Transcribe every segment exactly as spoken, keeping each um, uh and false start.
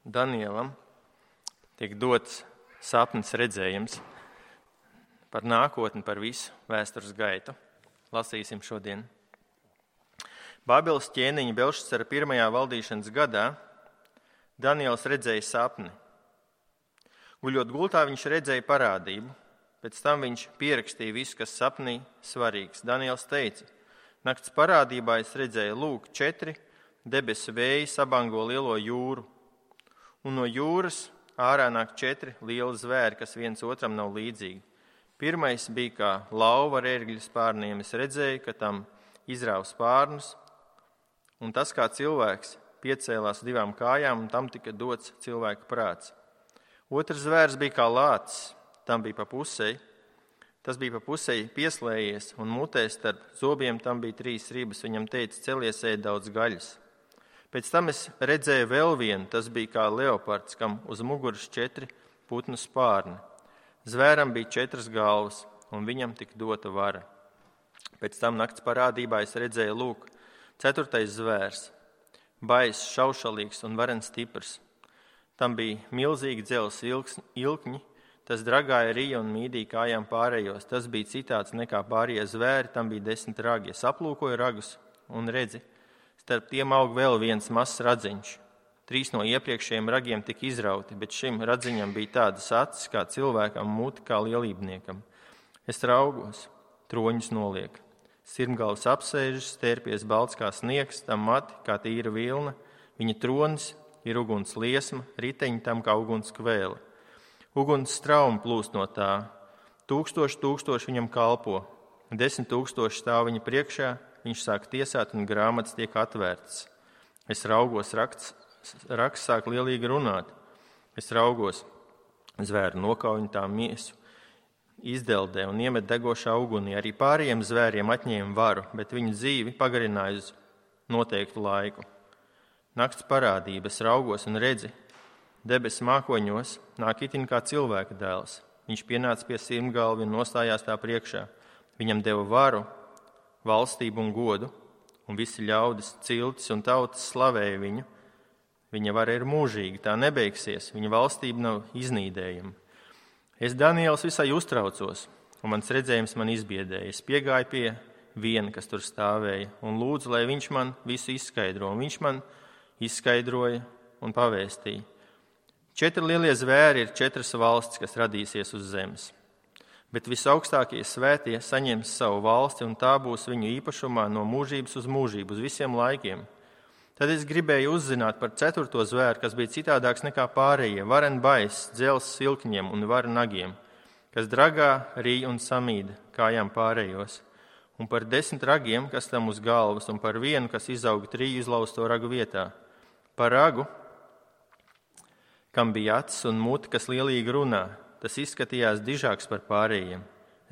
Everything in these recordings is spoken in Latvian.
Danielam tiek dots sapnis redzējums par nākotni, par visu vēstures gaitu. Lasīsim šodien. Bābeles ķēniņa Belšacara pirmajā valdīšanas gadā Daniels redzēja sapni. Guļot gultā, viņš redzēja parādību. Pēc tam viņš pierakstīja visu, kas sapnī svarīgs. Daniels teica, nakts parādībā es redzēju, lūk, četri debesu vēji sabango lielo jūru, un no jūras ārā nāk četri lieli zvēri, kas viens otram nav līdzīgi. Pirmais bija kā lauva ar ērgļu spārniem. Es redzēju, ka tam izrāva spārnus, un tas kā cilvēks piecēlās divām kājām, un tam tika dots cilvēka prāts. Otrs zvērs bija kā lācis, tam bija pa pusei. Tas bija pa pusei pieslējies, un mutē starp zobiem tam bija trīs ribas. Viņam teica, celies ēd daudz gaļas. Pēc tam es redzēju vēl vienu, tas bija kā leopards, kam uz muguras četri putnu spārni. Zvēram bija četras galvas, un viņam tika dota vara. Pēc tam nakts parādībā es redzēju, lūk, ceturtais zvērs, baiss, šaušalīgs un varens stiprs. Tam bija milzīgi dzelzs ilkņi, tas dragāja rija un mīdīja kājām pārējos. Tas bija citāds nekā pārējie zvēri, tam bija desmit ragi. Es aplūkoju ragus un redzi, starp tiem aug vēl viens mazs radziņš. Trīs no iepriekšējiem ragiem tika izrauti, bet šim radziņam bija tādas acis kā cilvēkam, muti kā lielībniekam. Es raugos, troņus noliek. Sirmgalvs apsēžas, stērpies balts kā sniegs, tam mati kā tīra vilna. Viņa tronis ir uguns liesma, riteņi tam kā uguns kvēle. Uguns straumi plūst no tā. Tūkstoši tūkstoši viņam kalpo. Desmit tūkstoši stāv viņa priekšā. Viņš sāk tiesāt un grāmatas tiek atvērtas. Es raugos, raksts, raksts sāk lielīgi runāt. Es raugos, zvēru nokauj tā miesu, izdeldē un iemet degošā ugunī. Arī pārējiem zvēriem atņēma varu, bet viņu dzīvi pagarināja uz noteiktu laiku. Nakts parādība, es raugos un redzi, debesu mākoņos nāk itin kā cilvēka dēls. Viņš pienāca pie sirmgalvi un nostājās tā priekšā. Viņam deva varu, valstību un godu, un visi ļaudis, ciltis un tautas slavēja viņu. Viņa vara ir mūžīga, tā nebeigsies, viņa valstība nav iznīdējama. Es, Daniels, visai uztraucos, un mans redzējums man izbiedēja. Es piegāju pie viena, kas tur stāvēja, un lūdzu, lai viņš man visu izskaidro, un viņš man izskaidroja un pavēstīja. Četri lielie zvēri ir četras valstis, kas radīsies uz zemes. Bet visaugstākie svētie saņems savu valsti, un tā būs viņu īpašumā no mūžības uz mūžību, uz visiem laikiem. Tad es gribēju uzzināt par ceturto zvēru, kas bija citādāks nekā pārējie, varen baiss, dzels silkņiem un varu nagiem, kas dragā, rīja un samīda kājām pārējos, un par desmit ragiem, kas tam uz galvas, un par vienu, kas izauga triju izlausto ragu vietā. Par ragu, kam bija acis un muti, kas lielīgi runā, tas izskatījās dižāks par pārējiem.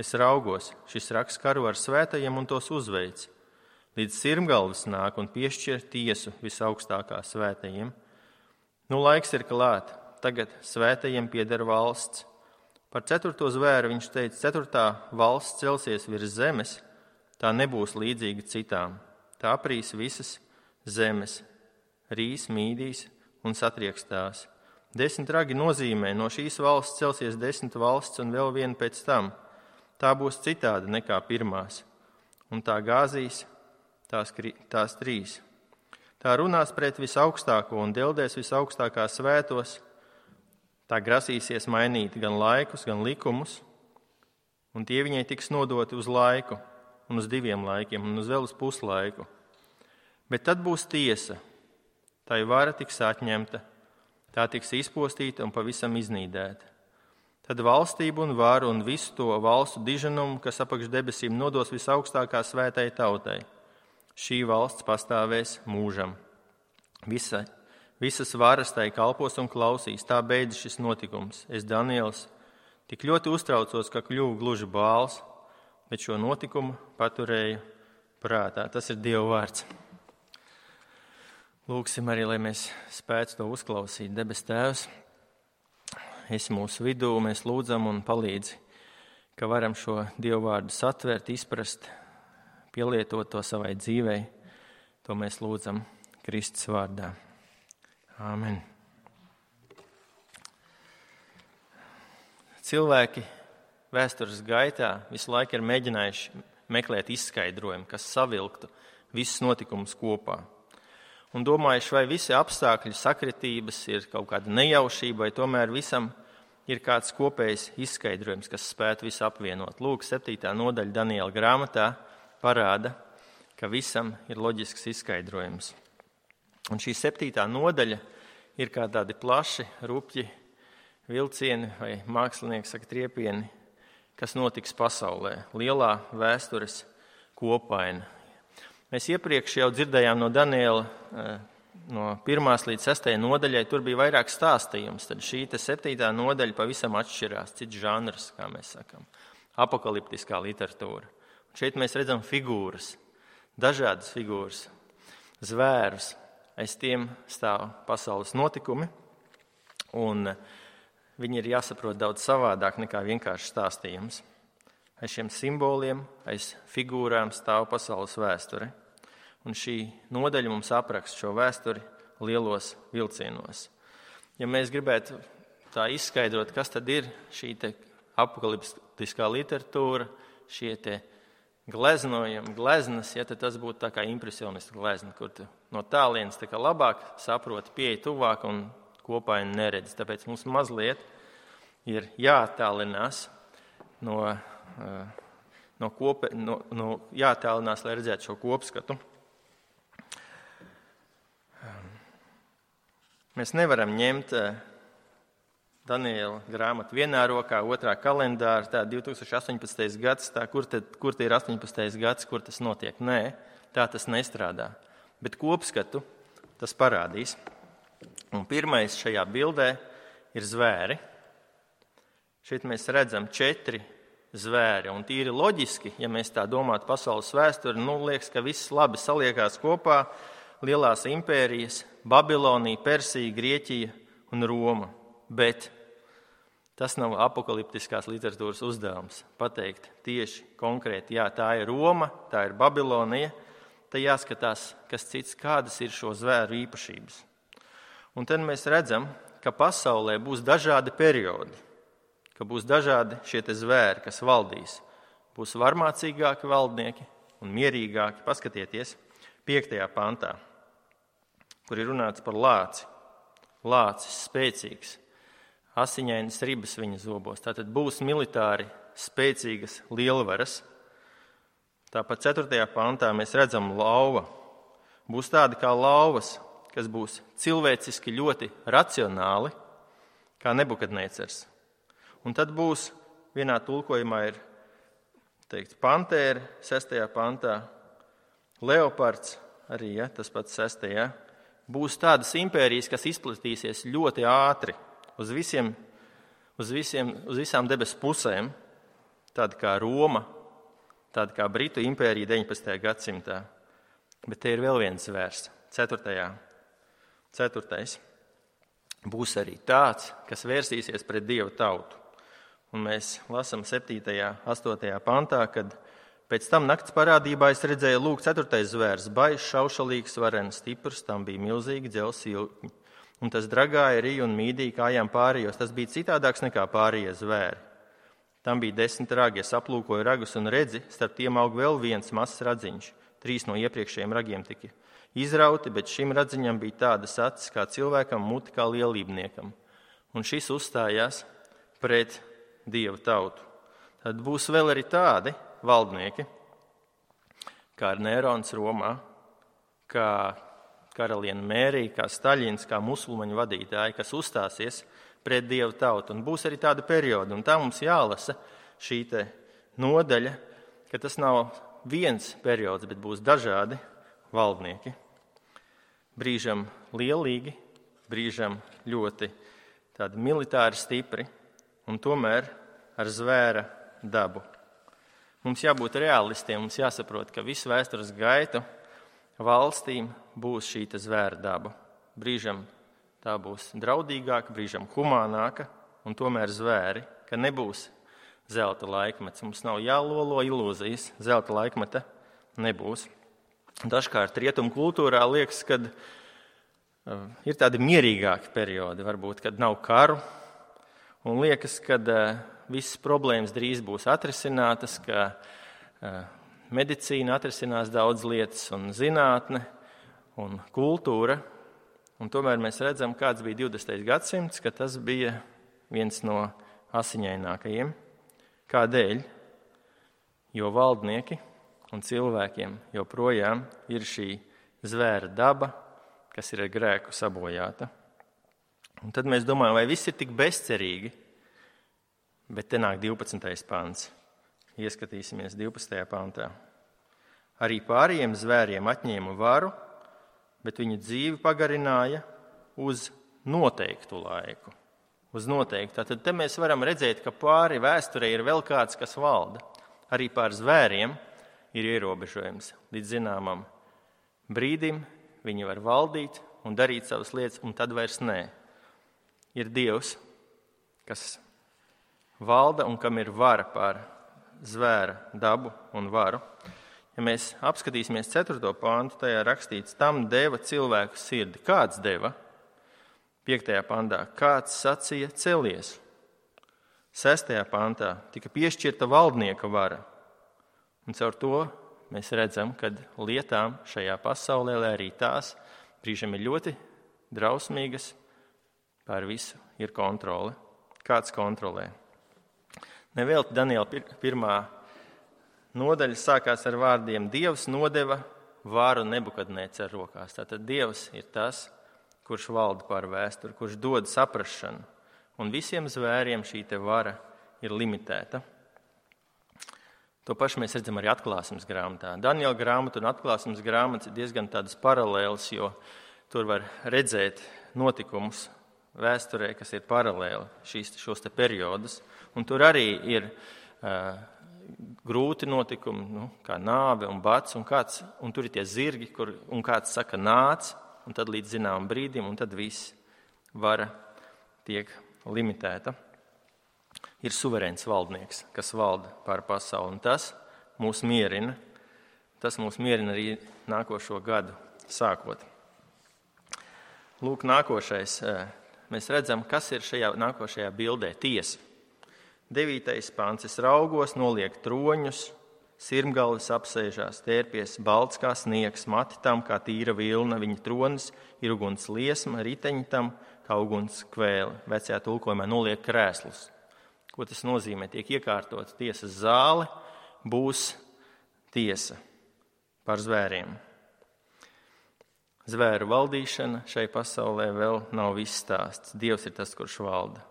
Es raugos, šis rags karo ar svētajiem un tos uzveic. Līdz sirmgalvas nāk un piešķir tiesu visaugstākā svētajiem. Nu, laiks ir klāt, tagad svētajiem pieder valsts. Par ceturto zvēru viņš teica, ceturtā valsts celsies virs zemes, tā nebūs līdzīga citām. Tā aprīs visas zemes, rīs, mīdīs un satriekstās. Desmit ragi nozīmē, no šīs valsts celsies desmit valsts un vēl viena pēc tam. Tā būs citāda nekā pirmās, un tā gāzīs tās, tās trīs. Tā runās pret visaugstāko un deldēs visaugstākā svētos. Tā grasīsies mainīt gan laikus, gan likumus, un tie viņai tiks nodoti uz laiku, un uz diviem laikiem, un uz vēl uz puslaiku. Bet tad būs tiesa, tai vara tiks atņemta. Tā tiks izpostīta un pavisam iznīdēta. Tad valstību un varu un visu to valstu diženumu, kas apakš debesīm, nodos visaugstākā svētai tautai. Šī valsts pastāvēs mūžam. Visa, visas varas tai kalpos un klausīs. Tā beidzas šis notikums. Es, Daniels, tik ļoti uztraucos, ka kļuvu gluži bāls, bet šo notikumu paturēju prātā. Tas ir Dieva vārds. Lūksim arī, lai mēs spētu to uzklausīt. Debes Tēvs, esi mūsu vidū, mēs lūdzam un palīdzi, ka varam šo Dievu vārdu satvert, izprast, pielietot to savai dzīvei. To mēs lūdzam Kristus vārdā. Āmen. cilvēki vēstures gaitā visu laiku ir mēģinājuši meklēt izskaidrojumu, kas savilktu visus notikumus kopā. Un domājuši, vai visi apstākļi sakritības ir kaut kāda nejaušība, vai tomēr visam ir kāds kopējs izskaidrojums, kas spētu visu apvienot. Lūk, septītā nodaļa Daniela grāmatā parāda, ka visam ir loģisks izskaidrojums. Un šī septītā nodaļa ir kā tādi plaši, rupji vilcieni vai mākslinieki saka triepieni, kas notiks pasaulē. Lielā vēstures kopaina. Mēs iepriekš jau dzirdējām no Daniela, no pirmās līdz sestajai nodaļai, tur bija vairāk stāstījums. Tad šī te septītā nodaļa pavisam atšķirās, cits žanrs, kā mēs sakam, apokaliptiskā literatūra. Un šeit mēs redzam figūras, dažādas figūras, zvērus. Aiz tiem stāv pasaules notikumi, un viņi ir jāsaprot daudz savādāk nekā vienkārši stāstījums. Aiz šiem simboliem, aiz figūrām stāv pasaules vēsture. Un šī nodaļa mums apraksta šo vēsturi lielos vilcienos. Ja mēs gribētu tā izskaidrot, kas tad ir šī te apokaliptiskā literatūra, šie te gleznojumi, gleznas, ja tad tas būtu tā kā impresionistu glezna, kur tu no tālienes tā kā labāk saproti, pieeja tuvāk un kopaini neredz. Tāpēc mums mazliet ir jāattālinās no, no, kope, no, no jāattālinās, lai redzētu šo kopskatu. Mēs nevaram ņemt Daniela grāmatu vienā rokā, otrā kalendāra, tā divi tūkstoši astoņpadsmitais gads, tā kur, te, kur te ir astoņpadsmitais gads, kur tas notiek. Nē, tā tas nestrādā. Bet kopskatu tas parādīs. Un pirmais šajā bildē ir zvēri. Šeit mēs redzam četri zvēri. Un tīri loģiski, ja mēs tā domātu pasaules vēsturi, nu liekas, ka viss labi saliekās kopā. Lielās impērijas, Babilonija, Persija, Grieķija un Roma. Bet tas nav apokaliptiskās literatūras uzdevums pateikt tieši konkrēti, jā, tā ir Roma, tā ir Babilonija, tad jāskatās, kas cits, kādas ir šo zvēru īpašības. Un tad mēs redzam, ka pasaulē būs dažādi periodi, ka būs dažādi šie te zvēri, kas valdīs. Būs varmācīgāki valdnieki un mierīgāki. Paskatieties piektajā pantā, kur ir runāts par lāci. Lācis spēcīgs, asiņainas ribas viņa zobos. Tātad būs militāri spēcīgas lielvaras. Tāpat ceturtajā pantā mēs redzam lauva. Būs tādi kā lauvas, kas būs cilvēciski ļoti racionāli, kā Nebukadnecars. Un tad būs, vienā tulkojumā ir teikt pantēra, sestajā pantā, leopards, arī ja, tas pats sestajā. Būs tādas impērijas, kas izplatīsies ļoti ātri uz, visiem, uz, visiem, uz visām debesu pusēm, tāda kā Roma, tāda kā Britu impērija deviņpadsmitajā gadsimtā. Bet te ir vēl viens zvērs, ceturtajā. Ceturtais. Būs arī tāds, kas vērsīsies pret Dieva tautu. Un mēs lasām septītajā, astotajā pantā, kad pēc tam nakts parādībā es redzēju, lūk, ceturtais zvērs, baizs, šaušalīgs, varens, stiprs, tam bija milzīgi dzelzs ilkņi. Un tas dragāja, rīja un mīdīja kājām pārējos. Tas bija citādāks nekā pārējie zvēri. Tam bija desmit ragi, es aplūkoju ragus un redzi, starp tiem aug vēl viens mazs radziņš. Trīs no iepriekšējiem ragiem tika izrauti, bet šim radziņam bija tādas acis kā cilvēkam, muti kā lielībniekam. Un šis uzstājās pret Dieva tautu. Tad būs vēl arī tādi valdnieki, kā Nērons Romā, kā karaliene Mērija, kā Staļins, kā musulmaņu vadītāji, kas uzstāsies pret Dieva tautu. Un būs arī tāda perioda, un tā mums jālasa šī te nodaļa, ka tas nav viens periods, bet būs dažādi valdnieki. Brīžam lielīgi, brīžam ļoti tādi militāri stipri, un tomēr ar zvēra dabu. Mums jābūt realistiem, mums jāsaprot, ka visu vēstures gaitu valstīm būs šī zvēra daba. Brīžam tā būs draudīgāka, brīžam humānāka, un tomēr zvēri, ka nebūs zelta laikmets. Mums nav jālolo ilūzijas, zelta laikmeta nebūs. Dažkārt rietumu kultūrā liekas, ka uh, ir tādi mierīgāki periodi, varbūt, kad nav karu, un liekas, ka uh, visas problēmas drīz būs atrisinātas, ka medicīna atrisinās daudz lietas un zinātne un kultūra. Un tomēr mēs redzam, kāds bija divdesmitais gadsimts, ka tas bija viens no asiņainākajiem. Kādēļ? Jo valdnieki un cilvēkiem joprojām ir šī zvēra daba, kas ir ar grēku sabojāta. Un tad mēs domājam, vai viss ir tik bezcerīgi, bet te nāk divpadsmitais pants. Ieskatīsimies divpadsmitajā pantā. Arī pārējiem zvēriem atņēma varu, bet viņa dzīvi pagarināja uz noteiktu laiku. Uz noteiktu. Tad te mēs varam redzēt, ka pāri vēsturē ir vēl kāds, kas valda. Arī pār zvēriem ir ierobežojums. Līdz zināmam brīdim viņi var valdīt un darīt savas lietas, un tad vairs nē. Ir Dievs, kas valda un kam ir vara pār zvēra dabu un varu. Ja mēs apskatīsimies ceturto pāntu, tajā rakstīts, tam deva cilvēku sirdi. Kāds deva? Piektajā pantā. Kāds sacīja celies? Sestajā pantā tika piešķirta valdnieka vara. Un caur to mēs redzam, ka lietām šajā pasaulē, lai arī tās brīžiem ir ļoti drausmīgas, pār visu ir kontrole. Kāds kontrolē? Nevelti Daniela pirmā nodaļa sākās ar vārdiem Dievs nodeva varu Nebukadnēcara rokās. Tātad Dievs ir tas, kurš valda pār vēsturi, kurš dod saprašanu. Un visiem zvēriem šī te vara ir limitēta. To pašu mēs redzam arī atklāsmes grāmatā. Daniela grāmata un atklāsmes grāmatas ir diezgan tādas paralēlas, jo tur var redzēt notikumus vēsturē, kas ir paralēli šīs, šos te periodus. Un tur arī ir uh, grūti notikumi, nu, kā nāve un bats, un, kāds, un tur ir tie zirgi, kur, un kāds saka nāc, un tad līdz zināmam brīdim, un tad viss vara tiek limitēta. Ir suverēns valdnieks, kas valda pār pasauli, un tas mūs mierina. Tas mūs mierina arī nākošo gadu sākot. Lūk, nākošais. Mēs redzam, kas ir šajā nākošajā bildē. Tiesa. Devītais pants. Es raugos, noliek troņus, sirmgalvis apsēžās, tērpies balts kā sniegs, mati tam kā tīra vilna, viņa tronis ir uguns liesma, riteņi tam kā uguns kvēle. Vecajā tulkojumā noliek krēslus. Ko tas nozīmē? Tiek iekārtots tiesas zāle, būs tiesa par zvēriem. Zvēru valdīšana šai pasaulē vēl nav viss stāsts. Dievs ir tas, kurš valda.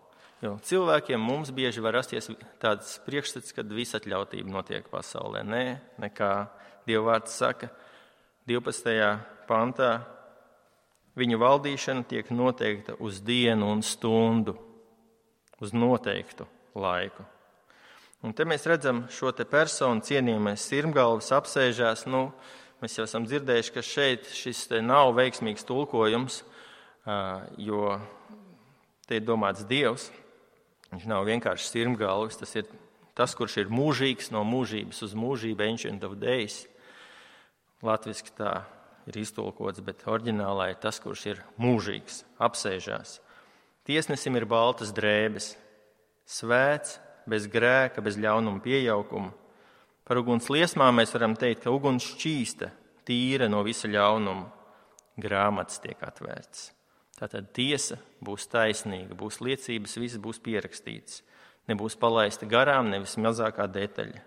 Jo cilvēkiem mums bieži var rasties tāds priekšstats, kad visatļautība notiek pasaulē. Nē, nekā Dieva vārds saka divpadsmitajā pantā. Viņu valdīšana tiek noteikta uz dienu un stundu, uz noteiktu laiku. Un te mēs redzam šo te personu cienījamais sirmgalvis apsēžās. Nu, mēs jau esam dzirdējuši, ka šeit šis te nav veiksmīgs tulkojums, jo te ir domāts Dievs. Viņš nav vienkārši sirmgalvis, tas ir tas, kurš ir mūžīgs no mūžības uz mūžību, ancient of days. Latviski tā ir iztulkots, bet oriģinālā ir tas, kurš ir mūžīgs, apsēžās. Tiesnesim ir baltas drēbes. Svēts, bez grēka, bez ļaunuma piejaukuma. Par uguns liesmām mēs varam teikt, ka uguns šķīsta, tīra no visa ļaunuma. Grāmatas tiek atvērts. Tātad tiesa būs taisnīga, būs liecības, viss būs pierakstīts. Nebūs palaista garām, nevis mazākā detaļa.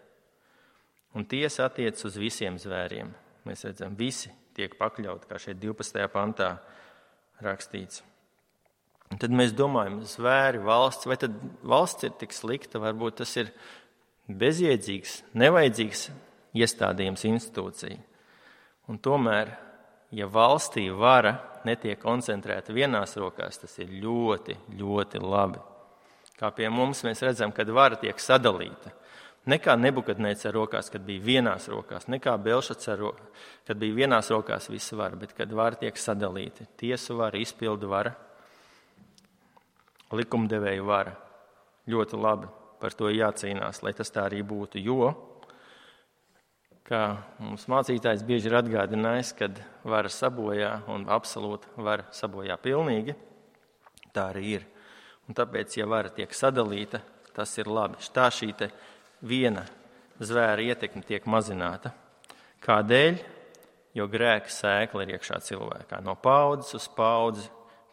Un tiesa attiec uz visiem zvēriem. Mēs redzam, visi tiek pakļauti, kā šeit divpadsmitajā pantā rakstīts. Un tad mēs domājam, zvēri, valsts, vai tad valsts ir tik slikta, varbūt tas ir bezjēdzīgs, nevajadzīgs iestādījums institūcija. Un tomēr, ja valstī vara netiek koncentrēta vienās rokās, tas ir ļoti, ļoti labi. Kā pie mums mēs redzam, kad vara tiek sadalīta. Ne kā Nebukadnēcara rokās, kad bija vienās rokās, ne kā Belšacara, kad bija vienās rokās visa vara, bet kad vara tiek sadalīta. Tiesu vara, izpildu vara. Likumdevēju vara. Ļoti labi, par to jācīnās, lai tas tā arī būtu, jo, kā mums mācītājs bieži ir atgādinājis, kad vara sabojā un absolūti vara sabojā pilnīgi, tā arī ir. Un tāpēc, ja vara tiek sadalīta, tas ir labi. Tā šī te viena zvēra ietekme tiek mazināta. Kādēļ? Jo grēka sēkla ir iekšā cilvēkā. No paudzes uz paudzi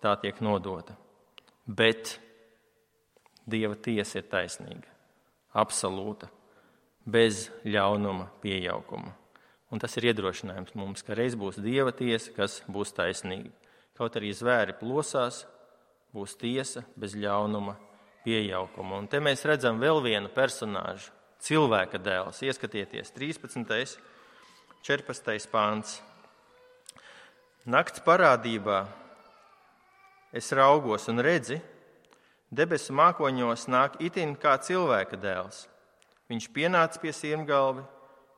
tā tiek nodota. Bet Dieva tiesa ir taisnīga, absolūta, bez ļaunuma piejaukuma. Un tas ir iedrošinājums mums, ka reiz būs Dieva tiesa, kas būs taisnīga. Kaut arī zvēri plosās, būs tiesa bez ļaunuma piejaukuma. Un te mēs redzam vēl vienu personāžu, cilvēka dēls. Ieskatieties, trīspadsmitais, četrpadsmitais pāns. Nakts parādībā es raugos un redzi, debesu mākoņos nāk itin kā cilvēka dēls. Viņš pienāca pie sirmgalvi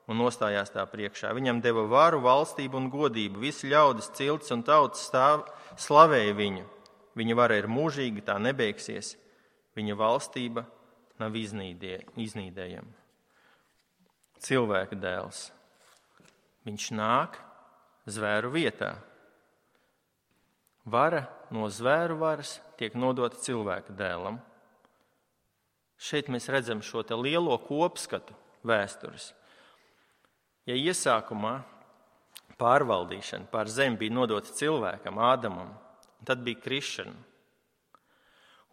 un nostājās tā priekšā. Viņam deva varu, valstību un godību. Visi ļaudis, ciltis un tautas stāv, slavēja viņu. Viņa vara ir mūžīga, tā nebeigsies. Viņa valstība nav iznīdē, iznīdējama. Cilvēka dēls. Viņš nāk zvēru vietā. Vara no zvēru varas tiek nodota cilvēka dēlam. Šeit mēs redzam šo te lielo kopskatu vēstures. Ja iesākumā pārvaldīšana pār zemi bija nodota cilvēkam, Ādamam, tad bija krišana.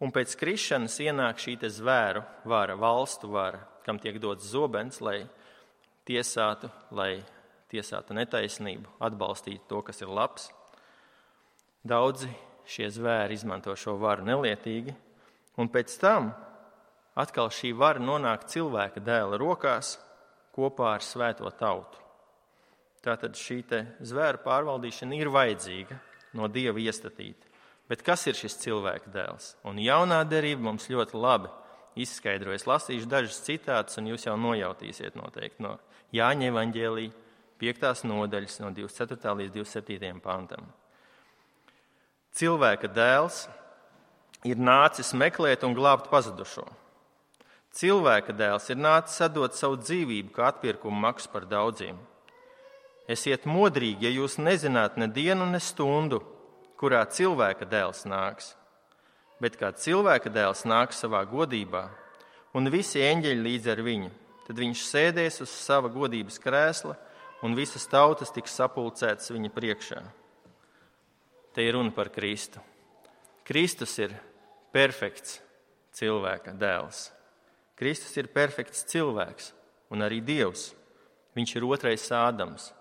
Un pēc krišanas ienāk šī te zvēru vara, valstu vara, kam tiek dots zobens, lai tiesātu, lai tiesātu netaisnību, atbalstītu to, kas ir labs. Daudzi šie zvēri izmanto šo varu nelietīgi, un pēc tam atkal šī vara nonāk cilvēka dēla rokās kopā ar svēto tautu. Tātad šī te zvēru pārvaldīšana ir vajadzīga, no Dieva iestatīta. Bet kas ir šis cilvēka dēls? Un jaunā derība mums ļoti labi izskaidrojas. Lasīšu dažus citātus, un jūs jau nojautīsiet noteikti no Jāņa evaņģēlija piektās nodaļas no divdesmit ceturtā līdz divdesmit septītajam pantam. Cilvēka dēls ir nācis meklēt un glābt pazudušo. Cilvēka dēls ir nācis atdot savu dzīvību kā atpirkumu maksu par daudziem. Esiet modrīgi, ja jūs nezināt ne dienu, ne stundu, kurā cilvēka dēls nāks. Bet kā cilvēka dēls nāks savā godībā, un visi eņģeļi līdz ar viņu, tad viņš sēdēs uz sava godības krēsla, un visas tautas tiks sapulcētas viņa priekšā. Te ir runa par Kristu. Kristus ir perfekts cilvēka dēls. Kristus ir perfekts cilvēks un arī Dievs. Viņš ir otrais Ādams.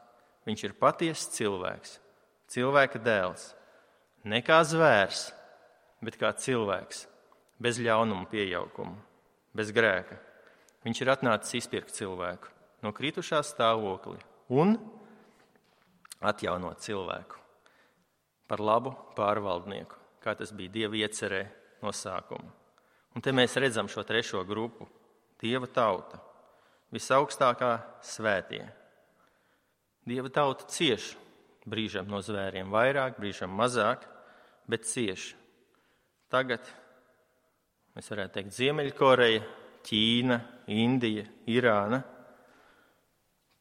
Viņš ir patiesas cilvēks, cilvēka dēls. Ne kā zvērs, bet kā cilvēks, bez ļaunuma piejaukuma, bez grēka. Viņš ir atnācis izpirkt cilvēku no kritušā stāvokļa un atjaunot cilvēku par labu pārvaldnieku, kā tas bija Dieva iecerē no sākuma. Un te mēs redzam šo trešo grupu – Dieva tauta, visaugstākā svētie. Dieva tauta cieš, brīžam no zvēriem vairāk, brīžam mazāk, bet cieš. Tagad mēs varētu teikt Ziemeļkoreja, Ķīna, Indija, Irāna,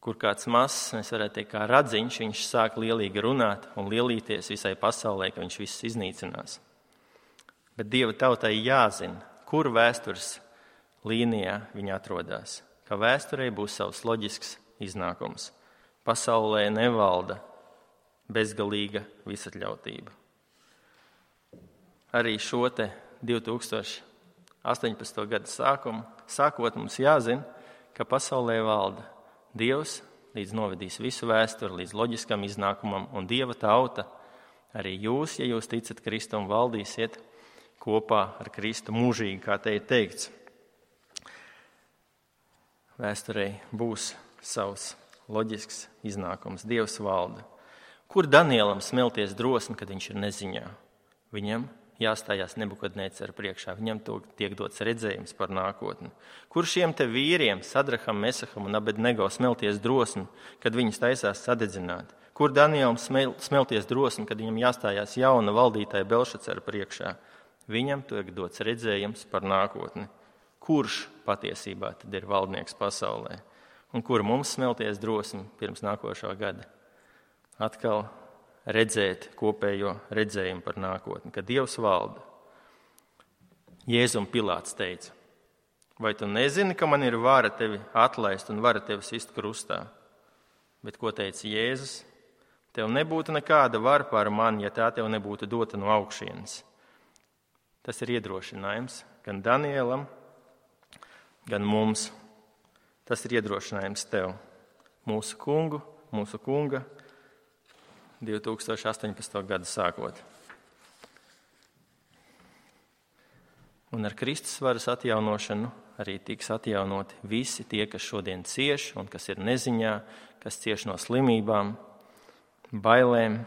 kur kāds mazs, mēs varētu teikt, kā radziņš, viņš sāk lielīgi runāt un lielīties visai pasaulē, ka viņš viss iznīcinās. Bet Dieva tautai jāzina, kur vēstures līnijā viņa atrodas, ka vēsturei būs savs loģisks iznākums. Pasaulē nevalda bezgalīga visatļautība. Arī šo te divi tūkstoši astoņpadsmito gada sākumu, sākot mums jāzina, ka pasaulē valda Dievs, līdz novedīs visu vēsturi, līdz loģiskam iznākumam, un Dieva tauta, arī jūs, ja jūs ticat Kristum, valdīsiet kopā ar Kristu mūžīgi, kā te ir teikts. Vēsturei būs savs loģisks iznākums. Dievs valda. Kur Danielam smelties drosmi, kad viņš ir neziņā? Viņam jāstājās Nebukadnecera priekšā. Viņam tiek dots redzējums par nākotni. Kur šiem te vīriem, Sadraham, Mesaham un Abednego, smelties drosmi, kad viņus taisās sadedzināt? Kur Danielam smelties drosmi, kad viņam jāstājās jauna valdītāja Belšacera priekšā? Viņam tiek dots redzējums par nākotni. Kurš patiesībā tad ir valdnieks pasaulē? Un kur mums smelties drosmi pirms nākošā gada? Atkal redzēt kopējo redzējumu par nākotni, ka Dievs valda. Jēzum Pilāts teica, vai tu nezini, ka man ir vara tevi atlaist un vara tevi sist krustā? Bet ko teica Jēzus? Tev nebūtu nekāda vara pār mani, ja tā tev nebūtu dota no augšienes. Tas ir iedrošinājums gan Danielam, gan mums. Tas ir iedrošinājums tev, mūsu kungu, mūsu kunga divi tūkstoši astoņpadsmito gadu sākot. Un ar Kristus varas atjaunošanu arī tiks atjaunoti visi tie, kas šodien cieš un kas ir neziņā, kas cieš no slimībām, bailēm,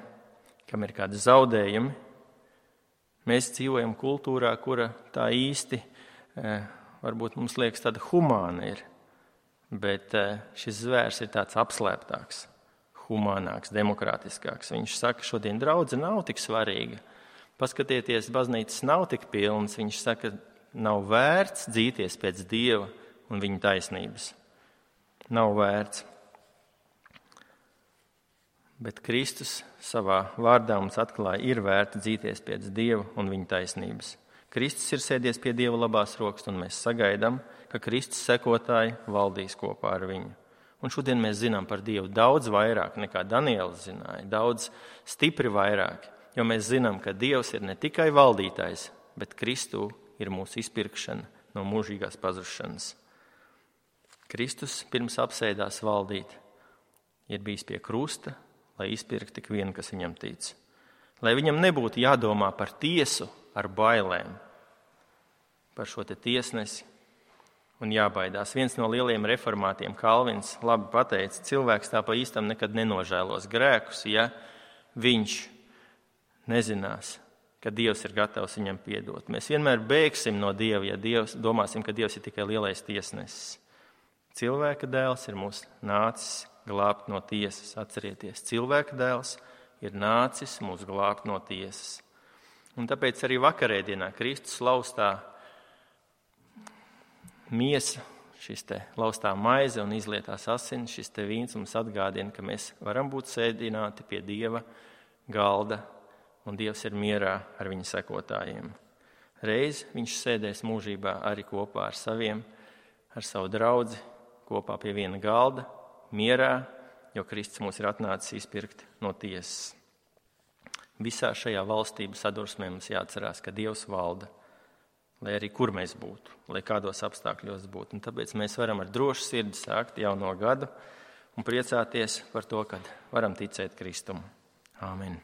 kam ir kādi zaudējumi. Mēs dzīvojam kultūrā, kura tā īsti, varbūt mums liekas tāda humāna ir, bet šis zvērs ir tāds apslēptāks, humānāks, demokrātiskāks. Viņš saka, šodien draudze nav tik svarīga. Paskatieties, baznīcas nav tik pilnas. Viņš saka, nav vērts dzīties pēc Dieva un viņa taisnības. Nav vērts. Bet Kristus savā vārdā mums atklāja, ir vērts dzīties pēc Dieva un viņa taisnības. Kristus ir sēdies pie Dieva labās rokas, un mēs sagaidām, ka Kristus sekotāji valdīs kopā ar viņu. Un šodien mēs zinām par Dievu daudz vairāk nekā Daniels zināja, daudz stipri vairāk. Jo mēs zinām, ka Dievs ir ne tikai valdītājs, bet Kristū ir mūsu izpirkšana no mūžīgās pazušanas. Kristus pirms apsēdās valdīt, ir bijis pie krusta, lai izpirktu tik vienu, kas viņam tic. Lai viņam nebūtu jādomā par tiesu ar bailēm, par šo te tiesnesi un jābaidās. Viens no lielajiem reformātiem, Kalvins, labi pateica, cilvēks tā pa īstam nekad nenožēlos grēkus, ja viņš nezinās, ka Dievs ir gatavs viņam piedot. Mēs vienmēr bēgsim no Dieva, ja Dievs, domāsim, ka Dievs ir tikai lielais tiesnesis. Cilvēka dēls ir mūs nācis glābt no tiesas. Atcerieties, cilvēka dēls ir nācis mūs glābt no tiesas. Un tāpēc arī vakarēdienā Kristus laustā miesa, šis te laustā maize un izlietās asinis, šis te vīns mums atgādina, ka mēs varam būt sēdināti pie Dieva galda, un Dievs ir mierā ar viņa sekotājiem. Reiz viņš sēdēs mūžībā arī kopā ar saviem, ar savu draudzi, kopā pie viena galda, mierā, jo Kristus mūs ir atnācis izpirkt no tiesas. Visā šajā valstību sadursmē mums jāatcerās, ka Dievs valda, lai arī kur mēs būtu, lai kādos apstākļos būtu. Un tāpēc mēs varam ar drošu sirdi sākt jauno gadu un priecāties par to, kad varam ticēt Kristum. Āmen.